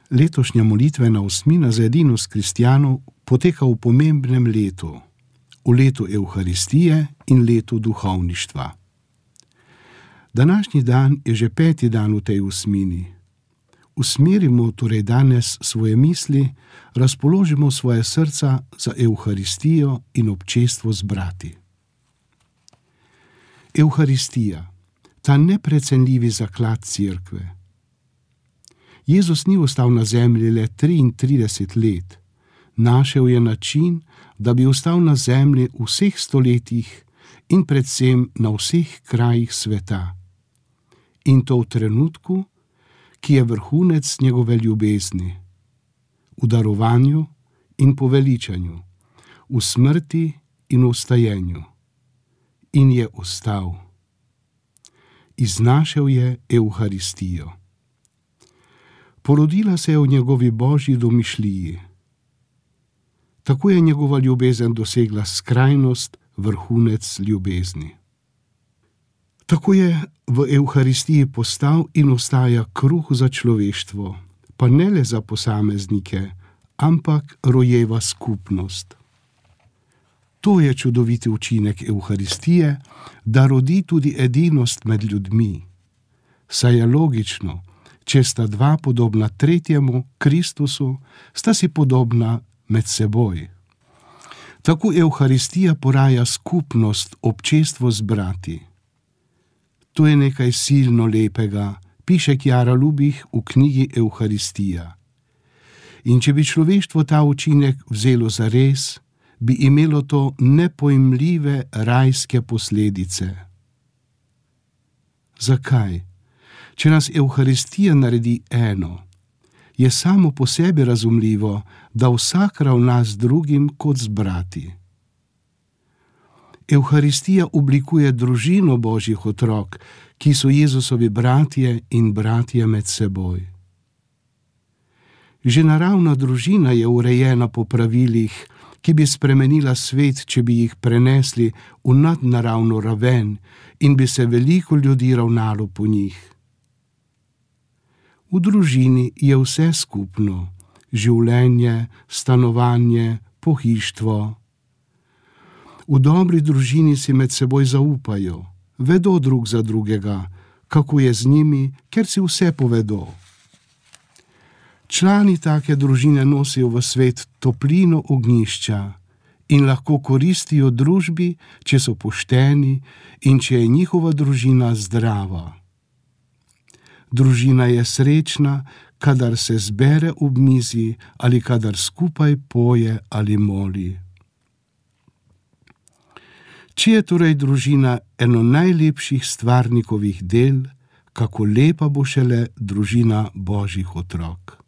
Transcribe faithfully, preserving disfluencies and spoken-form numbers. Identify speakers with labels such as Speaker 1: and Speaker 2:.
Speaker 1: Letošnja molitvena osmina za edinost kristjanov poteka v pomembnem letu, v letu Evharistije in letu duhovništva. Današnji dan je že peti dan v tej osmini. Usmerimo torej danes svoje misli, razpoložimo svoje srca za Evharistijo in občestvo z brati. Evharistija, ta neprecenljivi zaklad cerkve. Jezus ni ostal na zemlji le triintrideset let, našel je način, da bi ostal na zemlji v vseh stoletjih in predvsem na vseh krajih sveta. In to v trenutku, ki je vrhunec njegove ljubezni, v darovanju in poveličanju, v smrti in v vstajenju. In je ostal. Iznašel je Evharistijo. Porodila se je v njegovi božji domišljiji. Tako je njegova ljubezen dosegla skrajnost, vrhunec ljubezni. Tako je v Evharistiji postal in ostaja kruh za človeštvo, pa ne le za posameznike, ampak rojeva skupnost. To je čudoviti učinek Evharistije, da rodi tudi edinost med ljudmi. Saj je logično, če sta dva podobna tretjemu, Kristusu, sta si podobna med seboj. Tako Evharistija poraja skupnost, občestvo z brati. To je nekaj silno lepega, piše Kjara Lubih v knjigi Evharistija. In če bi človeštvo ta učinek vzelo zares, bi imelo to nepojmljive rajske posledice. Zakaj? Če nas Evharistija naredi eno, je samo po sebi razumljivo, da vsak ravna z drugim kot z brati. Evharistija oblikuje družino božjih otrok, ki so Jezusovi bratje in bratje med seboj. Že naravna družina je urejena po pravilih, ki bi spremenila svet, če bi jih prenesli v nadnaravno raven in bi se veliko ljudi ravnalo po njih. V družini je vse skupno, življenje, stanovanje, pohištvo. V dobri družini si med seboj zaupajo, vedo drug za drugega, kako je z njimi, ker si vse povedo. Člani take družine nosijo v svet toplino ognjišča in lahko koristijo družbi, če so pošteni in če je njihova družina zdrava. Družina je srečna, kadar se zbere ob mizi ali kadar skupaj poje ali moli. Če je torej družina eno najlepših stvarnikovih del, kako lepa bo šele družina božjih otrok.